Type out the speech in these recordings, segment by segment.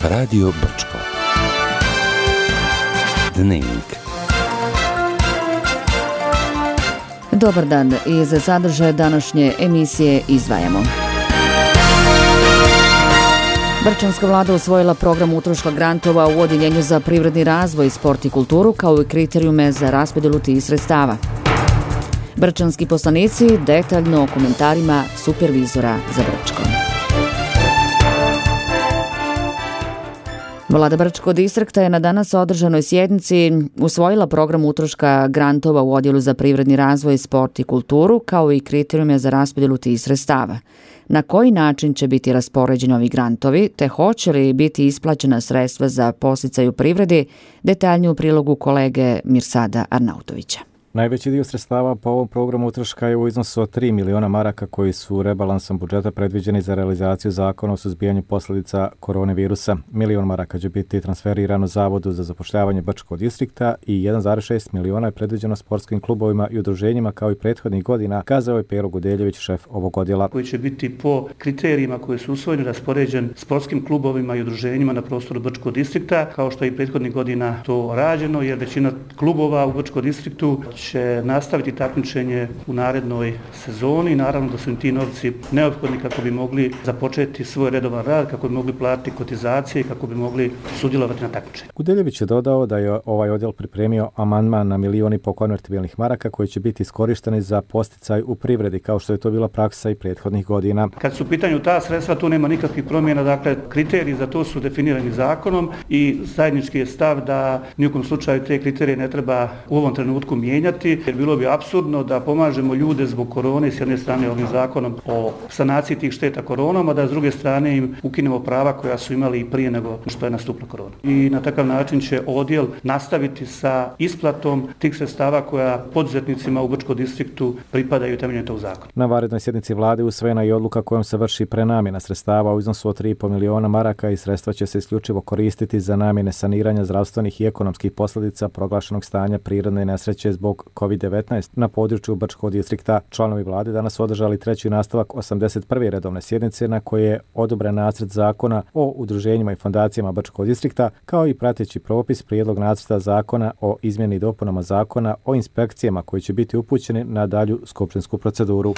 Radio Brčko. Dnevnik. Dobar dan, i za sadržaj današnje emisije izdvajamo. Brčanska vlada usvojila program utroška grantova u Odjeljenju za privredni razvoj, sport i kulturu kao i kriterijume za raspodjelu tih sredstava. Brčanski poslanici detaljno o komentarima supervizora za Brčko. Vlada Brčkog distrikta je na danas održanoj sjednici usvojila program utroška grantova u Odjelu za privredni razvoj, sport i kulturu kao i kriterijume za raspodjelu tih sredstava. Na koji način će biti raspoređeni ovi grantovi, te hoće li biti isplaćena sredstva za podsticaj u privredi, detaljnije u prilogu kolege Mirsada Arnautovića. Najveći dio sredstava po ovom programu utroška je u iznosu od 3 miliona maraka koji su rebalansom budžeta predviđeni za realizaciju zakona o suzbijanju posljedica koronavirusa. 1 milion maraka će biti transferirano Zavodu za zapošljavanje Brčkog distrikta i 1,6 miliona je predviđeno sportskim klubovima i udruženjima kao i prethodnih godina, kazao je Pero Gudeljević, šef ovog odjela. Koji će biti po kriterijima koji su usvojeni raspoređen sportskim klubovima i udruženjima na prostoru Brčkog distrikta, kao što je i prethodnih godina to rađeno, jer većina klubova u Brčkom distriktu će nastaviti takmičenje u narednoj sezoni i naravno da su im ti novci neophodni kako bi mogli započeti svoj redovan rad, kako bi mogli platiti kotizacije i kako bi mogli sudjelovati na takmičenju. Gudeljević je dodao da je ovaj odjel pripremio amandman na 1 milion konvertibilnih maraka koji će biti iskorišteni za podsticaj u privredi, kao što je to bila praksa i prethodnih godina. Kad su u pitanju ta sredstva, tu nema nikakvih promjena, dakle kriteriji za to su definirani zakonom i zajednički je stav da nijekom slučaju te kriterije ne treba u ovom trenutku mijenjati, jer bilo bi apsurdno da pomažemo ljude zbog korone s jedne strane ovim zakonom o sanaciji tih šteta koronom, a da s druge strane im ukinemo prava koja su imali i prije nego što je nastupila korona. I na takav način će odjel nastaviti sa isplatom tih sredstava koja poduzetnicima u Brčkom distriktu pripadaju temeljem tog zakona. Na vanrednoj sjednici vlade usvojena je odluka kojom se vrši prenamjena sredstava u iznosu od 3,5 miliona maraka i sredstva će se isključivo koristiti za namjene saniranja zdravstvenih i ekonomskih posljedica proglašenog stanja prirodne nesreće zbog COVID-19 na području Brčkog distrikta. Članovi vlade danas održali treći nastavak 81. redovne sjednice na koje je odobren nacrt zakona o udruženjima i fondacijama Brčkog distrikta, kao i prateći propis prijedlog nacrta zakona o izmjeni i dopunama zakona o inspekcijama koji će biti upućeni na dalju skupštinsku proceduru.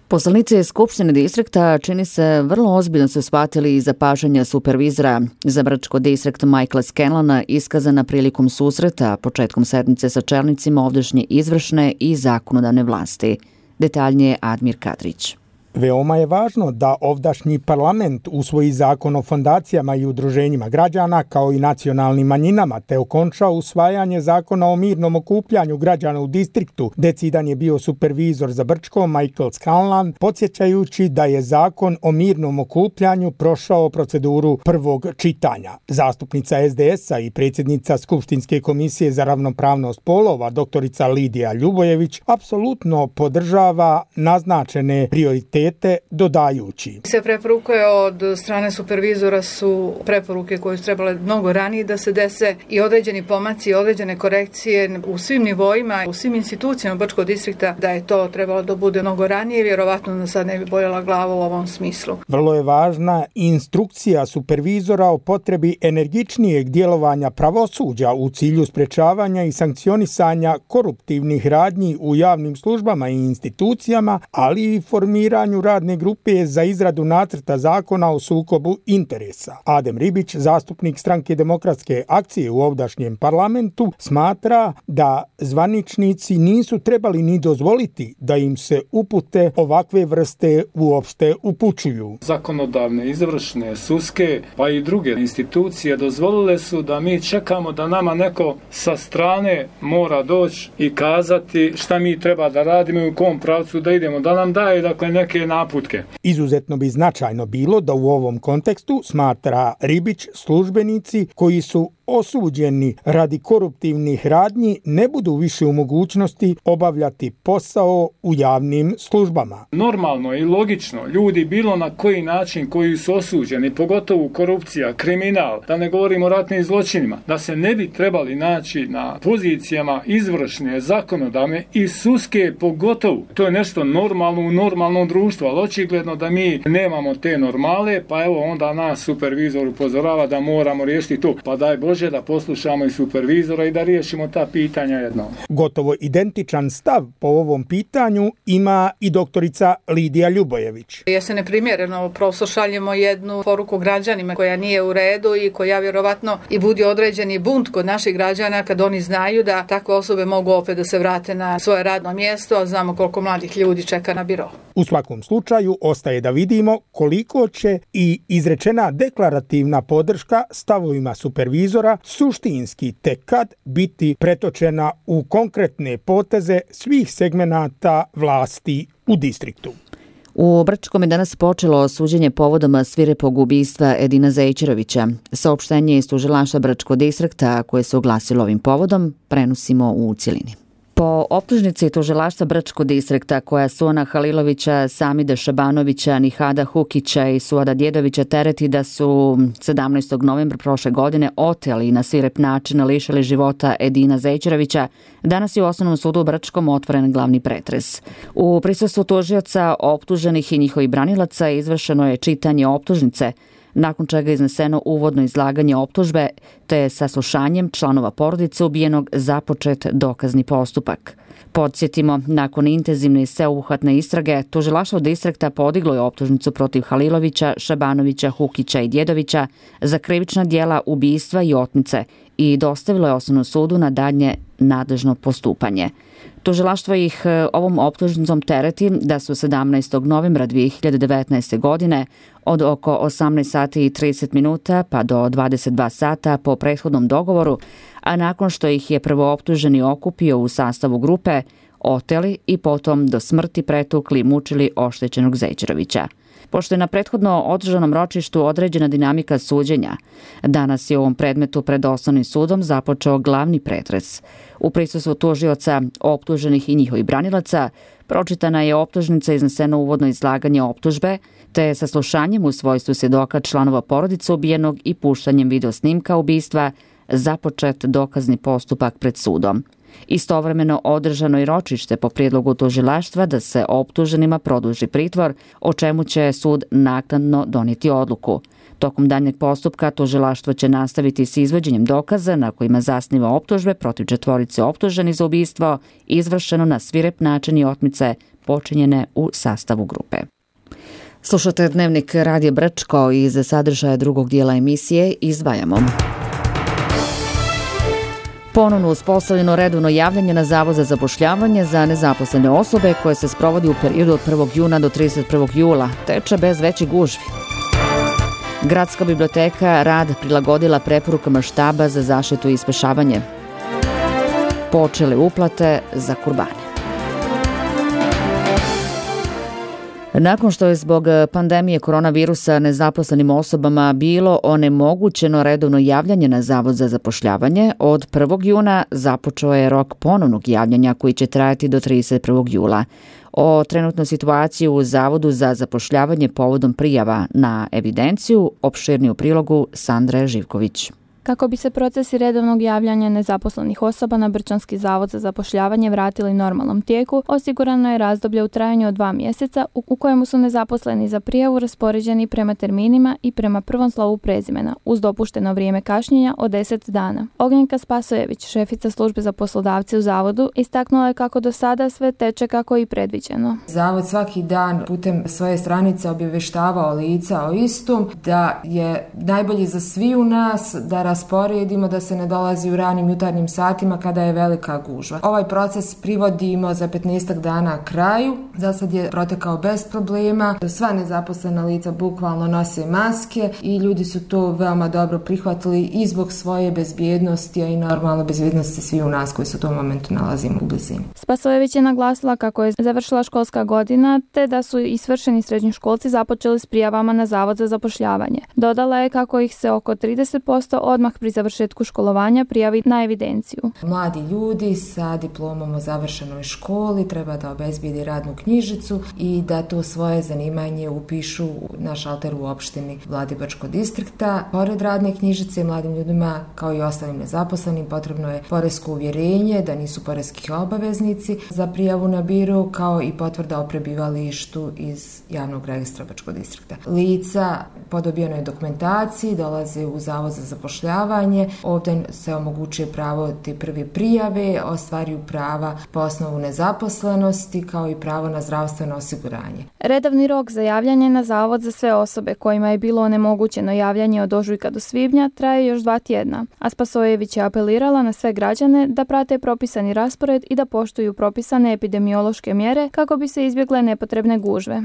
Poslanici Skupštine distrikta čini se vrlo ozbiljno su shvatili zapažanja supervizora za Brčko distrikt Michaela Scanlona iskazana prilikom susreta početkom sedmice sa čelnicima ovdašnje izvršne i zakonodavne vlasti. Detaljnije Admir Kadrić. Veoma je važno da ovdašnji parlament usvoji zakon o fondacijama i udruženjima građana kao i nacionalnim manjinama, te okonča usvajanje zakona o mirnom okupljanju građana u distriktu. Decidan je bio supervizor za Brčko Michael Scanlon, podsjećajući da je zakon o mirnom okupljanju prošao proceduru prvog čitanja. Zastupnica SDS-a i predsjednica Skupštinske komisije za ravnopravnost polova, doktorica Lidija Ljubojević, apsolutno podržava naznačene prioritete, dodajući. Sve preporuke od strane supervizora su preporuke koje su trebale mnogo ranije da se dese i određeni pomaci, određene korekcije u svim nivoima, u svim institucijama Brčkog distrikta, da je to trebalo da bude mnogo ranije, vjerovatno da sad ne bi boljela glava u ovom smislu. Vrlo je važna instrukcija supervizora o potrebi energičnijeg djelovanja pravosuđa u cilju sprečavanja i sankcionisanja koruptivnih radnji u javnim službama i institucijama, ali i formiranju radne grupe za izradu nacrta zakona o sukobu interesa. Adem Ribić, zastupnik Stranke demokratske akcije u ovdašnjem parlamentu, smatra da zvaničnici nisu trebali ni dozvoliti da im se upute ovakve vrste uopšte upućuju. Zakonodavne, izvršne, sudske pa i druge institucije dozvolile su da mi čekamo da nama neko sa strane mora doći i kazati šta mi treba da radimo i u kom pravcu da idemo, da nam daje dakle neke naputke. Izuzetno bi značajno bilo da u ovom kontekstu, smatra Ribić, službenici koji su osuđeni radi koruptivnih radnji ne budu više u mogućnosti obavljati posao u javnim službama. Normalno i logično, ljudi bilo na koji način koji su osuđeni, pogotovo korupcija, kriminal, da ne govorimo o ratnim zločinima, da se ne bi trebali naći na pozicijama izvršne, zakonodavne i sudske pogotovo. To je nešto normalno u normalnom društvu, ali očigledno da mi nemamo te normale, pa evo onda nas supervizor upozorava da moramo riješiti to. Pa daj Bože da poslušamo i supervizora i da riješimo ta pitanja jednom. Gotovo identičan stav po ovom pitanju ima i doktorica Lidija Ljubojević. Jeste neprimjereno, prosto šaljemo jednu poruku građanima koja nije u redu i koja vjerovatno i budi određeni bunt kod naših građana kad oni znaju da takve osobe mogu opet da se vrate na svoje radno mjesto, a znamo koliko mladih ljudi čeka na biro. U svakom slučaju ostaje da vidimo koliko će i izrečena deklarativna podrška stavovima supervizora suštinski tek kad biti pretočena u konkretne poteze svih segmenata vlasti u distriktu. U Brčkom je danas počelo suđenje povodom svirepog ubistva Edina Zejčerovića. Saopštenje iz tužilaštva Brčkog distrikta koje se oglasilo ovim povodom prenosimo u cjelini. Po optužnici tužilaštva Brčkog distrikta koja Suana Halilovića, Samida Šabanovića, Nihada Hukića i Suada Djedovića tereti da su 17. novembra prošle godine oteli i na svirep način lišili života Edina Zejčerovića, danas je u Osnovnom sudu u Brčkom otvoren glavni pretres. U prisustvu tužioca, optuženih i njihovih branilaca izvršeno je čitanje optužnice, nakon čega je izneseno uvodno izlaganje optužbe, te saslušanjem članova porodice ubijenog započet dokazni postupak. Podsjetimo, nakon intenzivne i sveobuhvatne istrage, tužilaštvo distrikta podiglo je optužnicu protiv Halilovića, Šabanovića, Hukića i Djedovića za krivična djela ubistva i otmice i dostavilo je Osnovnom sudu na daljnje nadležno postupanje. Tužilaštvo ih ovom optužnicom tereti da su 17. novembra 2019. godine od oko 18 sati i 30 minuta pa do 22 sata po prethodnom dogovoru, a nakon što ih je prvooptuženi okupio u sastavu grupe, oteli i potom do smrti pretukli i mučili oštećenog Zejčerovića. Pošto je na prethodno održanom ročištu određena dinamika suđenja, danas je u ovom predmetu pred Osnovnim sudom započeo glavni pretres. U prisustvu tužioca, optuženih i njihovih branilaca, pročitana je optužnica, izneseno uvodno izlaganje optužbe, te saslušanjem u svojstvu svjedoka članova porodice ubijenog i puštanjem videosnimka ubistva započet dokazni postupak pred sudom. Istovremeno održano i ročište po prijedlogu tužilaštva da se optuženima produži pritvor, o čemu će sud naknadno donijeti odluku. Tokom daljnjeg postupka tužilaštvo će nastaviti s izvođenjem dokaza na kojima zasniva optužbe protiv 4 optuženih za ubistvo izvršeno na svirep način i otmice počinjene u sastavu grupe. Slušate Dnevnik Radija Brčko i za sadržaja drugog dijela emisije izdvajamo. Ponovno uspostavljeno redovno javljanje na Zavod za zapošljavanje za nezaposlene osobe koje se sprovodi u periodu od 1. juna do 31. jula, teče bez većih gužvi. Gradska biblioteka rad prilagodila preporukama štaba za zaštitu i spašavanje. Počele uplate za kurbane. Nakon što je zbog pandemije koronavirusa nezaposlenim osobama bilo onemogućeno redovno javljanje na Zavod za zapošljavanje, od 1. juna započeo je rok ponovnog javljanja koji će trajati do 31. jula. O trenutnoj situaciji u Zavodu za zapošljavanje povodom prijava na evidenciju opširniju prilogu Sandre Živković. Kako bi se procesi redovnog javljanja nezaposlenih osoba na Brčanski zavod za zapošljavanje vratili normalnom tijeku, osigurano je razdoblje u trajanju od 2 mjeseca u kojemu su nezaposleni za prijavu raspoređeni prema terminima i prema prvom slovu prezimena, uz dopušteno vrijeme kašnjenja od 10 dana. Ognjenka Spasojević, šefica službe za poslodavce u zavodu, istaknula je kako do sada sve teče kako i predviđeno. Zavod svaki dan putem svoje stranice obavještavao lica o istom, da je najbolje za svi u nas da rasporedimo, da se ne dolazi u ranim jutarnjim satima kada je velika gužva. Ovaj proces privodimo za 15 dana kraju. Za sad je protekao bez problema. Sva nezaposlena lica bukvalno nose maske i ljudi su to veoma dobro prihvatili i zbog svoje bezbjednosti, a i normalno bezbjednosti svi u nas koji se u tom momentu nalazimo u blizini. Spasojević je naglasila kako je završila školska godina te da su i svršeni srednjoškolci započeli s prijavama na Zavod za zapošljavanje. Dodala je kako ih se oko 30% odmah odmah pri završetku školovanja prijavi na evidenciju. Mladi ljudi sa diplomom o završenoj školi treba da obezbijedi radnu knjižicu i da to svoje zanimanje upišu na šalter u opštini Vladibačkog distrikta. Pored radne knjižice mladim ljudima kao i ostalim nezaposlenim potrebno je poresko uvjerenje da nisu poreski obaveznici za prijavu na biro, kao i potvrda o prebivalištu iz javnog registra Bačkog distrikta. Lica po dobijenoj dokumentaciji dolaze u Zavod za zapošljavanje. Ovdje se omogućuje pravo te prve prijave, ostvaruju prava po osnovu nezaposlenosti kao i pravo na zdravstveno osiguranje. Redovni rok za javljanje na Zavod za sve osobe kojima je bilo onemogućeno javljanje od ožujka do svibnja traje još 2 tjedna, a Spasojević je apelirala na sve građane da prate propisani raspored i da poštuju propisane epidemiološke mjere kako bi se izbjegle nepotrebne gužve.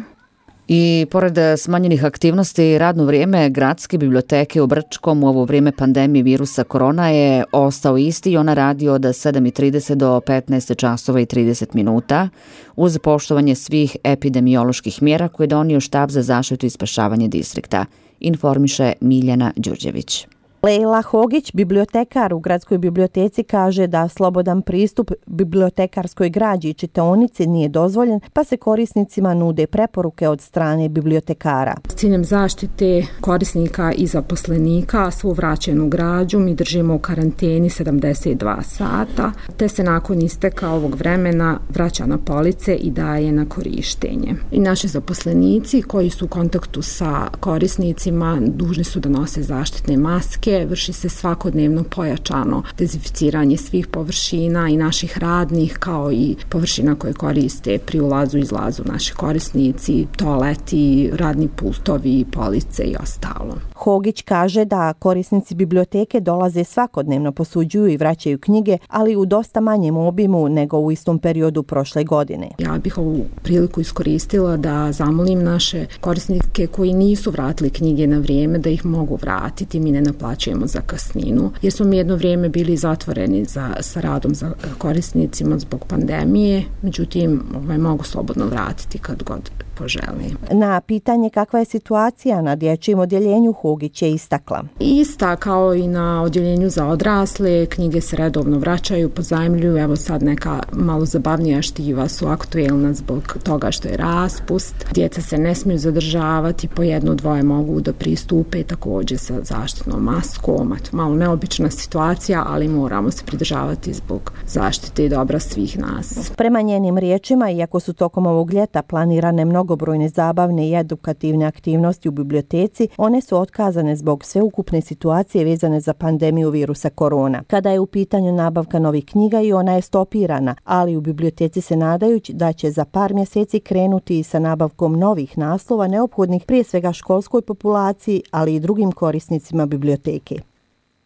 I pored smanjenih aktivnosti, radno vrijeme gradske biblioteke u Brčkom u ovo vrijeme pandemije virusa korona je ostao isti i ona radi od 7:30 do 15 časova i 30 minuta uz poštovanje svih epidemioloških mjera koje je donio štab za zaštitu i spašavanje distrikta, informiše Miljana Đurđević. Lejla Hogić, bibliotekar u gradskoj biblioteci, kaže da slobodan pristup bibliotekarskoj građi i čitaonici nije dozvoljen, pa se korisnicima nude preporuke od strane bibliotekara. S ciljem zaštite korisnika i zaposlenika svu vraćenu građu mi držimo u karanteni 72 sata, te se nakon isteka ovog vremena vraća na police i daje na korištenje. I naši zaposlenici koji su u kontaktu sa korisnicima dužni su da nose zaštitne maske. Vrši se svakodnevno pojačano dezinficiranje svih površina i naših radnih, kao i površina koje koriste pri ulazu i izlazu naši korisnici, toaleti, radni pultovi, police i ostalo. Hogić kaže da korisnici biblioteke dolaze svakodnevno, posuđuju i vraćaju knjige, ali u dosta manjem obimu nego u istom periodu prošle godine. Ja bih ovu priliku iskoristila da zamolim naše korisnike koji nisu vratili knjige na vrijeme da ih mogu vratiti. Mi ne naplaćujemo zakasninu, jer smo mi jedno vrijeme bili zatvoreni sa radom za korisnicima zbog pandemije, međutim mogu slobodno vratiti kad god poželim. Na pitanje kakva je situacija na dječjem odjeljenju, Hogić je istakla. Ista kao i na odjeljenju za odrasle, knjige se redovno vraćaju, pozajmljuju, evo sad neka malo zabavnija štiva su aktuelna zbog toga što je raspust. Djeca se ne smiju zadržavati, po 1-2 mogu da pristupe također sa zaštitnom maskom. Malo neobična situacija, ali moramo se pridržavati zbog zaštite i dobra svih nas. Prema njenim riječima, iako su tokom ovog ljeta planirane mnogobrojne zabavne i edukativne aktivnosti u biblioteci, one su otkazane zbog sveukupne situacije vezane za pandemiju virusa korona. Kada je u pitanju nabavka novih knjiga i ona je stopirana, ali u biblioteci se nadajući da će za par mjeseci krenuti i sa nabavkom novih naslova neophodnih prije svega školskoj populaciji, ali i drugim korisnicima biblioteke.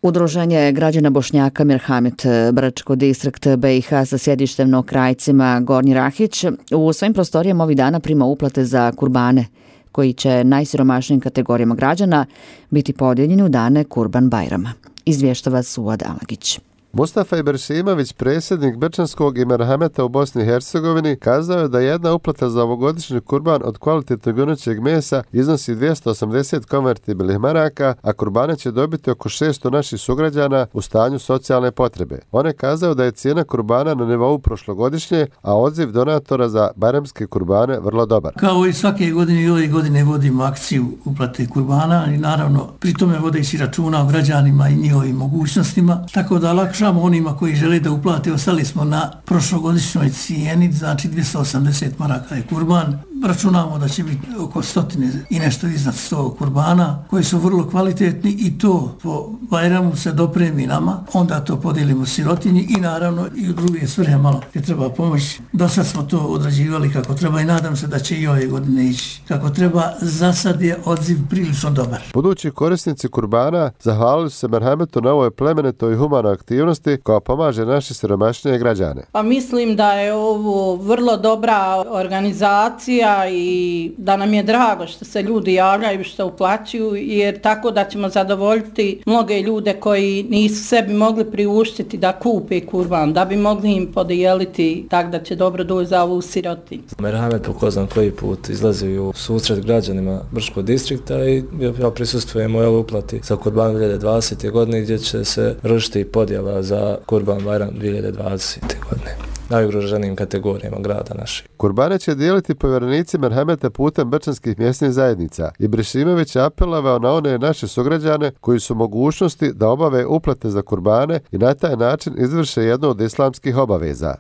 Udruženje građana Bošnjaka Mirhamit Brčko distrikt BiH sa sjedištem na Krajcima Gornji Rahić u svojim prostorijama ovih dana prima uplate za kurbane koji će najsiromašnijim kategorijama građana biti podijeljeni u dane Kurban Bajrama. Izvještava Suad Alagić. Mustafa Ibršimović, predsjednik Brčanskog i Merhameta u Bosni i Hercegovini, kazao je da jedna uplata za ovogodišnji kurban od kvalitetnog junećeg mesa iznosi 280 konvertibilnih maraka, a kurbane će dobiti oko 600 naših sugrađana u stanju socijalne potrebe. On je kazao da je cijena kurbana na nivou prošlogodišnje, a odziv donatora za bajramske kurbane vrlo dobar. Kao i svake godine i ove godine vodimo akciju uplate kurbana i naravno pri tome vodeći računa o građanima i njihovim mogućnostima, tako da lakša onima koji žele da uplate. Ostali smo na prošlogodišnjoj cijeni, znači 280 maraka je kurban. Računamo da će biti oko 100 i nešto iznad 100 kurbana koji su vrlo kvalitetni i to po Bajramu se dopremi nama, onda to podijelimo sirotinji i naravno i u druge svrhe malo gdje treba pomoći. Do sad smo to odrađivali kako treba i nadam se da će i ove godine ići kako treba. Za sad je odziv prilično dobar. Budući korisnici kurbana zahvalili su se Merhametu na ovoj plemenitoj i humanoj aktivnosti koja pomaže naše siromašnije građane. Pa mislim da je ovo vrlo dobra organizacija akcija i da nam je drago što se ljudi javljaju, što uplaćuju, jer tako da ćemo zadovoljiti mnoge ljude koji nisu sebi mogli priuštiti da kupe kurban, da bi mogli im podijeliti tako da će dobro doći za ovu sirotinju. Merhamet po ko znam koji put izlazi u susret građanima Brčkog distrikta i ja prisustvujem u ovoj uplati za Kurban 2020. godine gdje će se vršiti podjela za Kurban Bajram 2020. godine. Najugroženijim kategorijama grada naših. Kurbane će dijeliti povjerenici merhameta putem brčanskih mjesnih zajednica. Ibrešimović je apelovao na one naše sugrađane koji su mogućnosti da obave uplate za kurbane i na taj način izvrše jednu od islamskih obaveza.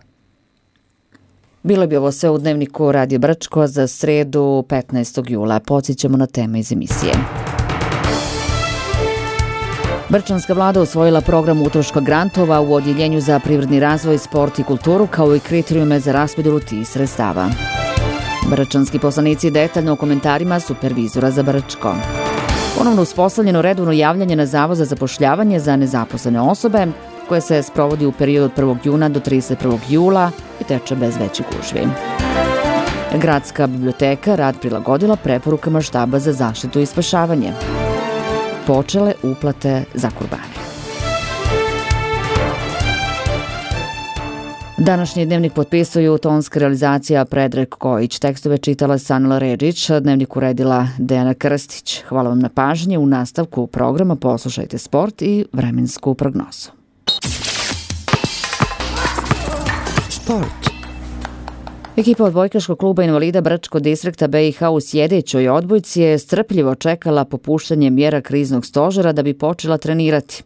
Bilo bi ovo sve u dnevniku Radio Brčko za sredu 15. jula. Podsjećamo na teme iz emisije. Brčanska vlada usvojila program utroška grantova u Odjeljenju za privredni razvoj, sport i kulturu, kao i kriterijume za raspodjelu tih sredstava. Brčanski poslanici detaljno o komentarima supervizora za Brčko. Ponovno uspostavljeno redovno javljanje na Zavod za zapošljavanje za nezaposlene osobe, koje se sprovodi u periodu od 1. juna do 31. jula i teče bez većih gužvi. Gradska biblioteka rad prilagodila preporukama štaba za zaštitu i spašavanje. Počele uplate za kurbane. Današnji dnevnik potpisuju tonska realizacija Predrag Kojić, tekstove čitala Sanela Redžić, dnevnik uredila Dejana Krstić. Hvala vam na pažnji. U nastavku programa poslušajte sport i vremensku prognozu. Sport. Ekipa odbojkaškog kluba invalida Brčkog distrikta BiH u sljedećoj odbojci je strpljivo čekala popuštanje mjera kriznog stožera da bi počela trenirati.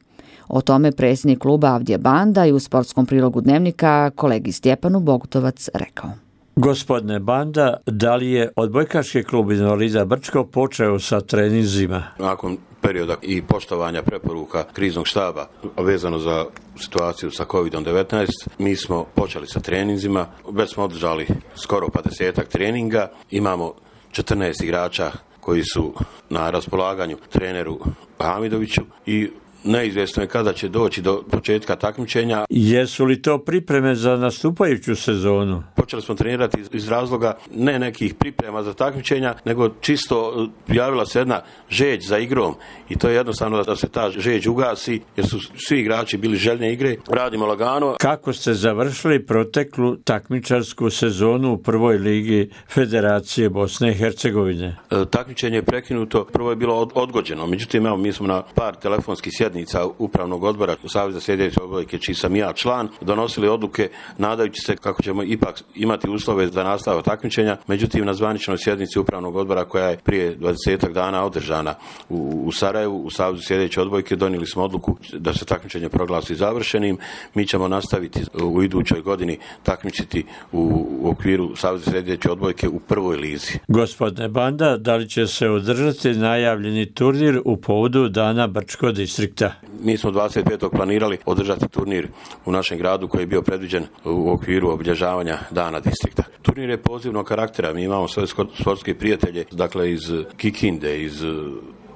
O tome predsjednik kluba Avdija Banda i u sportskom prilogu dnevnika kolegi Stjepanu Bogutovac rekao. Gospodine Banda, da li je odbojkaški klub invalida Brčko počeo sa treninzima? Nakon perioda i poštovanja preporuka kriznog štaba vezano za situaciju sa COVID-19, mi smo počeli sa treninzima, već smo održali skoro 50 treninga, imamo 14 igrača koji su na raspolaganju treneru Hamidoviću i neizvjesno je kada će doći do početka takmičenja. Jesu li to pripreme za nastupajuću sezonu? Počeli smo trenirati iz razloga ne nekih priprema za takmičenja, nego čisto javila se jedna žeđ za igrom i to je jednostavno da se ta žeđ ugasi jer su svi igrači bili željne igre. Radimo lagano. Kako ste završili proteklu takmičarsku sezonu u prvoj ligi Federacije Bosne i Hercegovine? Takmičenje je prekinuto, prvo je bilo odgođeno, međutim evo mi smo na par telefonskih sjednica upravnog odbora Saveza sljedeće odbojke, čiji sam ja član, donosili odluke nadajući se kako ćemo ipak imati uslove za nastavak takmičenja. Međutim, na zvaničnoj sjednici upravnog odbora koja je prije 20 dana održana u Sarajevu, u Savezu sljedeće odbojke, donijeli smo odluku da se takmičenje proglasi završenim. Mi ćemo nastaviti u idućoj godini takmičiti u okviru Saveza sljedeće odbojke u prvoj lizi. Gospodine Banda, da li će se održati najavljeni turnir u povodu Dana Brčkog distrikta? Mi smo 25. planirali održati turnir u našem gradu koji je bio predviđen u okviru obilježavanja Dana distrikta. Turnir je pozivnog karaktera, mi imamo svoje sportske prijatelje, dakle iz Kikinde, iz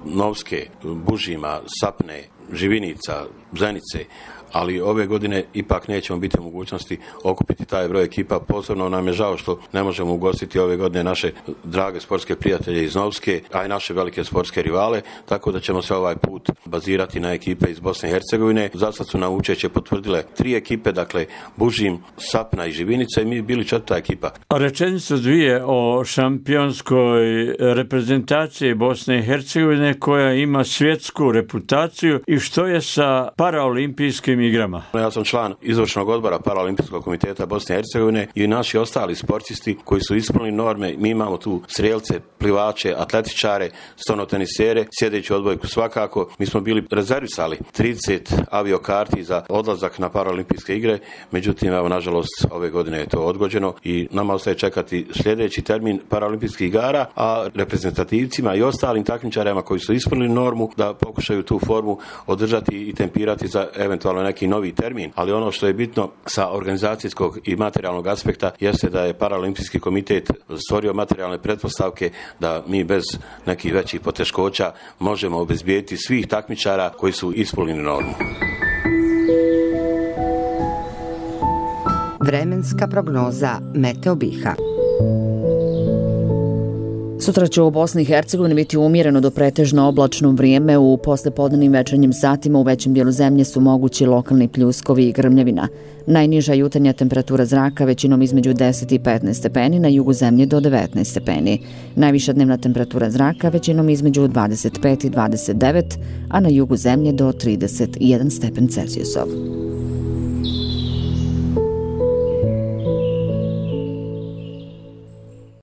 Novske, Bužima, Sapne, Živinica, Zenice, ali ove godine ipak nećemo biti u mogućnosti okupiti taj broj ekipa. Posebno nam je žao što ne možemo ugostiti ove godine naše drage sportske prijatelje iz Novske, a i naše velike sportske rivale, tako da ćemo se ovaj put bazirati na ekipe iz Bosne i Hercegovine. Zasad su nam učešće potvrdile 3 ekipe, dakle Bužim, Sapna i Živinica i mi bili 4. ekipa. Rečenicu dvije o šampionskoj reprezentaciji Bosne i Hercegovine koja ima svjetsku reputaciju i što je sa paraolimpijskim igrama. Ja sam član izvršnog odbora Paraolimpijskog komiteta Bosne i Hercegovine i naši ostali sportisti koji su ispunili norme. Mi imamo tu strelce, plivače, atletičare, stonotenisere, sjedeću odbojku svakako. Mi smo bili rezervisali 30 aviokarti za odlazak na Paraolimpijske igre, međutim, evo, nažalost, ove godine je to odgođeno i nama ostaje čekati sljedeći termin Paraolimpijskih igara, a reprezentativcima i ostalim takmičarima koji su ispunili normu da pokušaju tu formu održati i tempirati za eventualno neki novi termin, ali ono što je bitno sa organizacijskog i materijalnog aspekta jeste da je Paraolimpijski komitet stvorio materijalne pretpostavke da mi bez nekih većih poteškoća možemo obezbijediti svih takmičara koji su ispunili normu. Vremenska prognoza Meteo BiH. Sutra će u Bosni i Hercegovini biti umjereno do pretežno oblačno vrijeme. U poslepodnevnim večernjim satima u većem dijelu zemlje su mogući lokalni pljuskovi i grmljavina. Najniža jutarnja temperatura zraka većinom između 10 i 15 stepeni, na jugu zemlje do 19 stepeni. Najviša dnevna temperatura zraka većinom između 25 i 29, a na jugu zemlje do 31 stepen Celzijusov.